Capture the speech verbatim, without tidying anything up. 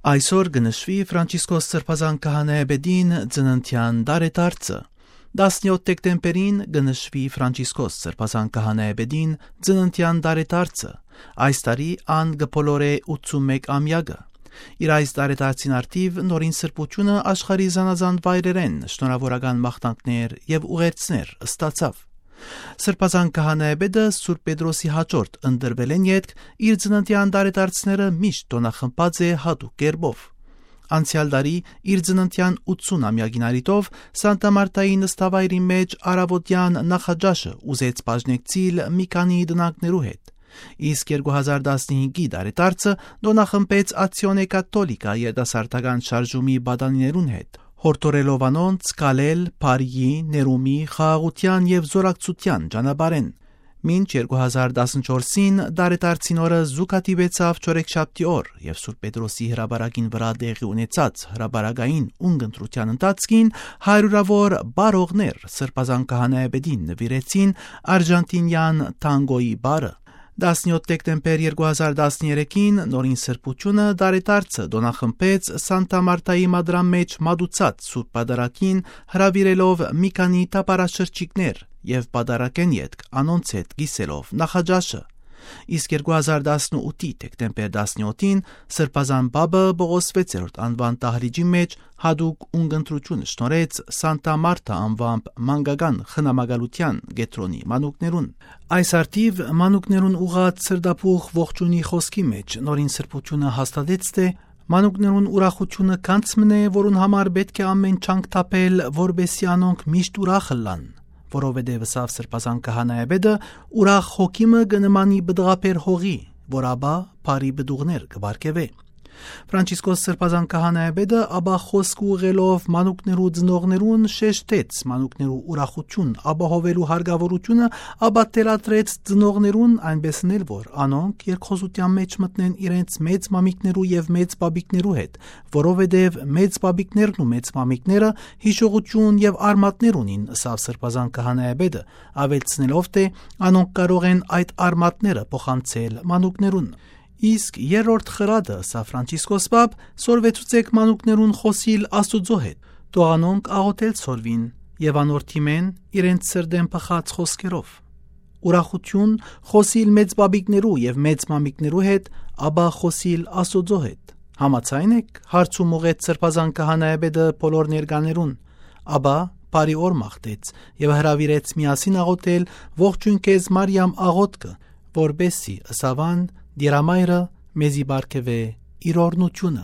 Այսօր կնշվի Ֆրանցիսկոս Սրբազան քահանայապետին ծննդյան տարեդարձը։ տասնյոթ դեկտեմբերին կնշվի Ֆրանցիսկոս Սրբազան քահանայապետին ծննդյան տարեդարձը։ Այս տարի ան կբոլորե ութսունմեկ ամյակը։ Իր այս տարեդարձին արդիվ նորին սրբությունը աշխարհի զանազան վայրերեն շնորհավորական մաղթանքներ եւ ուղերձներ ստացավ։ Սրբազան քահանայապետը Սուրբ Պետրոսի հաջորդ ընտրվել են ետք իր ծննդյան տարեդարձները միշտ տոնախմբած է հատուկ կերպով։ Անցյալ տարի իր ծննդյան ութսունամյակին արիտով Սանտա Մարտայի նստավայրի մեջ առավոտյան նախաճաշը ուզեց բաժնեկցիլ մի քանի դնակներու հետ։ Իսկ երկու հազար տասնհինգի տարեդարձը տոնախմբեց Ացիոնե Կաթոլիկա երիտասարդական շարժումի բադանիներուն հետ, հորդորելով անոնց կալել բարիի, ներումի, խաղաղության եւ զորակցության ճանապարհեն։ Մինչ երկու հազար տասնչորսին տարեդարձին օրը զուգադիպեցավ չորեքշաբթի օր եւ Սուրբ Պետրոսի հրաբարակին վրա տեղի ունեցած հրաբարակային ունգընտրության ընթացքին հարյուրավոր բարողներ Սրբազան քահանայապետին նվիրեցին արժանտինյան տանգոյի բարը։ տասնյոթ դեկտեմբեր երկու հազար տասներեքին նորին սրբությունը տարեդարձը տոնախմբեց Սանտա Մարտայի մադրամ մեջ մատուցած Սուրբ Պատարագին հրավիրելով մի քանի տապարաշրջիկներ եւ պատարագեն ետք անոնց հետ գիսելով նախաճաշը։ Իսկ երկու հազար տասնութի դեկտեմբեր տասնյոթին Սրբազան Պապը Պողոս վեցերորդ անվան տահրիճի մեջ հատուկ ունգընտրություն շնորհեց Սանտա Մարտա անվամբ մանկական խնամակալության կետրոնի մանուկներուն։ Այս արդիվ մանուկներուն ուղղած սրտապուխ ողջունի խոսքի մեջ նորին սրբությունը հաստատեց, թե մանուկներուն ուրախությունը կանց մնե, որուն համար պետք է ամեն չանք թափել, որբեսի անոնք միշտ ուրախ լան, որովհետև սավ Սրբազան քահանայապետը ուրախ հոգիմը կնմանի բդղապեր հողի, որ աբա բարի բդուղներ կբարգեւե։ Ֆրանցիսկոս Սրբազան քահանայապետը աբա խոսք ուղղելով մանուկներու ծնողներուն շեշտեց մանուկներու ուրախություն ապահովելու հարգավորությունը, աբա տելատրեց ծնողներուն այնպեսն էլ որ անոնք երկխոսության մեջ մտնեն իրենց մեծ մամիկներու եւ մեծ բաբիկներու հետ, որովհետեւ մեծ բաբիկներն ու մեծ մամիկները հիշողություն եւ արմատներ ունին, սավ Սրբազան քահանայապետը ավելցնելով, թե անոնք կարող են այդ արմատները փոխանցել մանուկներուն։ Իսկ երրորդ խրատը սա Ֆրանցիսկոս Պապ սորվեցուցեք մանուկներուն խոսիլ Աստուծո հետ, տողանոնք աղոթել սորվին եւ անորթիմեն իրենց սրդեն փխած խոսքերով։ Ուրախություն խոսիլ մեծ բաբիկներու եւ մեծ մամիկներու հետ, աբա խոսիլ Աստուծո հետ։ Համաձայն եք, հարցում ուղեց Սրբազան քահանայապետը բոլոր ներկաներուն, աբա բարի օր մաղթեց եւ հրավիրեց միասին աղոթել ողջույն քեզ Մարիամ աղոթքը, որբեսի ըսավան Դիրամայրը մեզի բարգեւե իր օրնությունը։